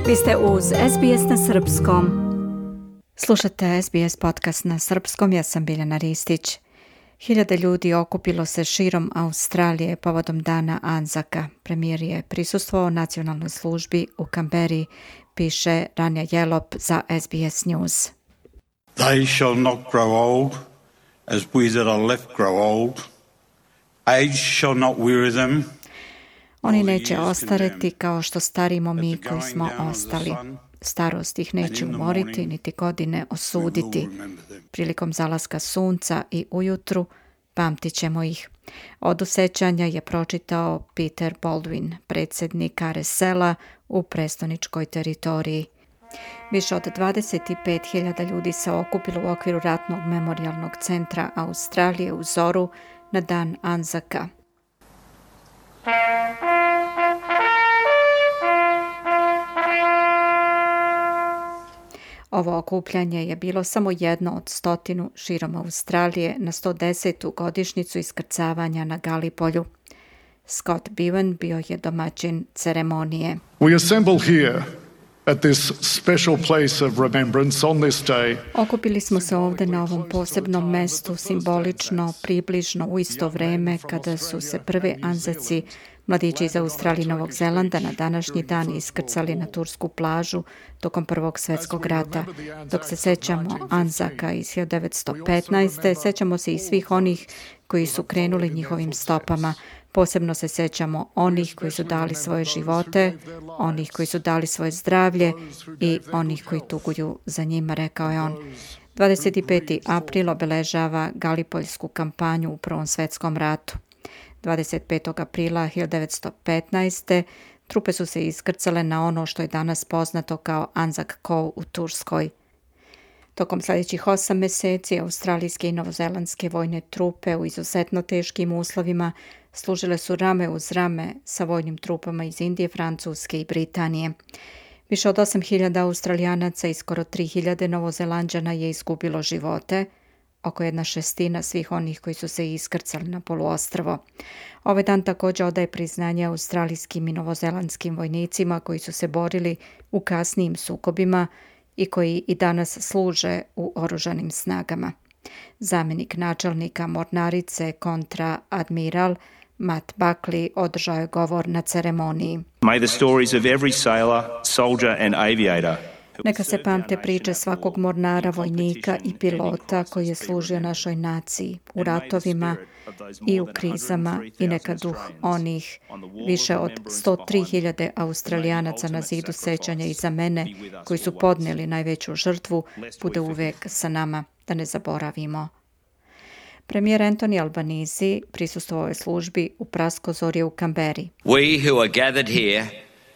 Vi ste uz SBS na srpskom. Slušate SBS podcast na srpskom, ja sam Biljana Ristić. Hiljade ljudi okupilo se širom Australije povodom dana Anzaka. Premijer je prisustvovao nacionalnoj službi u Canberri, piše Rania Jelop za SBS News. They shall not grow old, as we that are left grow old. Age shall not weary them. Oni neće ostareti kao što starimo mi koji smo ostali. Starost ih neće umoriti, niti godine osuditi. Prilikom zalaska sunca i ujutru pamtit ćemo ih. Od usećanja je pročitao Peter Baldwin, predsjednik RSL-a u prestoničkoj teritoriji. Više od 25.000 ljudi se okupilo u okviru ratnog memorijalnog centra Australije u Zoru na dan Anzaka. Ovo okupljanje je bilo samo jedno od 100 širom Australije na 110. godišnjicu iskrcavanja na Galipolju. Scott Bevan bio je domaćin ceremonije. We assemble here at this special place of remembrance on this day. Okupili smo se ovdje na ovom posebnom mestu, simbolično, približno u isto vrijeme kada su se prvi Anzaci, mladići iz Australije i Novog Zelanda, na današnji dan iskrcali na tursku plažu tokom Prvog svjetskog rata. Dok se sećamo Anzaka iz 1915. sećamo se i svih onih koji su krenuli njihovim stopama. Posebno se sećamo onih koji su dali svoje živote, onih koji su dali svoje zdravlje i onih koji tuguju za njima, rekao je on. 25. april obeležava Galipoljsku kampanju u Prvom svjetskom ratu. 25. aprila 1915. trupe su se iskrcale na ono što je danas poznato kao Anzac Cove u Turskoj. Tokom sljedećih 8 mjeseci australijske i novozelandske vojne trupe u izuzetno teškim uslovima služile su rame uz rame sa vojnim trupama iz Indije, Francuske i Britanije. Više od 8.000 Australijanaca i skoro 3.000 Novozelanđana je izgubilo živote, oko 1/6 svih onih koji su se iskrcali na poluostrvo. Ovaj dan također odaje priznanje australijskim i novozelandskim vojnicima koji su se borili u kasnijim sukobima i koji i danas služe u oružanim snagama. Zamjenik načelnika mornarice kontra-admiral Matt Buckley održao je govor na ceremoniji. May the stories of every sailor, soldier and aviator. Neka se pamte priče svakog mornara, vojnika i pilota koji je služio našoj naciji u ratovima i u krizama, i neka duh onih više od 103.000 Australijanaca na zidu sećanja iza mene koji su podnijeli najveću žrtvu bude uvijek sa nama, da ne zaboravimo. Premijer Anthony Albanese prisustvovao je službi u Praskozorje u Canberri. We who are gathered here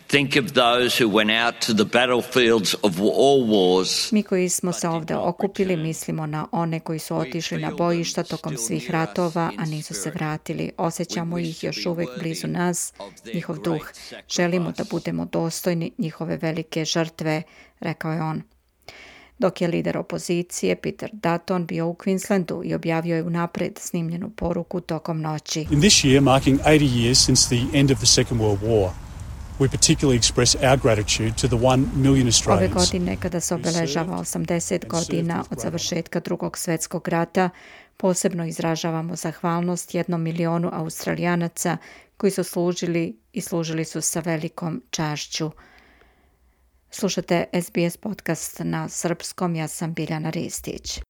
think of those who went out to the battlefields of all wars. Mi koji smo se ovdje okupili mislimo na one koji su otišli na bojišta tokom svih ratova, a nisu se vratili. Osjećamo ih još uvijek blizu nas, njihov duh. Želimo da budemo dostojni njihove velike žrtve, rekao je on. Dok je lider opozicije Peter Dutton bio u Queenslandu i objavio je unaprijed snimljenu poruku tokom noći. In this year, marking 80 years since the end of the Second World War, we particularly express our gratitude to the 1 million Australians. Ove godine, kada se obeležava 80 godina od završetka Drugog svjetskog rata, posebno izražavamo zahvalnost 1 milijunu Australijanaca koji su služili i služili su sa velikom čašću. Slušate SBS podcast na srpskom, ja sam Biljana Ristić.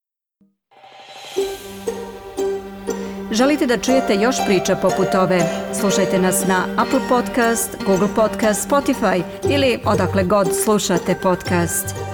Želite da čujete još priča poput ove? Slušajte nas na Apple Podcast, Google Podcast, Spotify ili odakle god slušate podcast.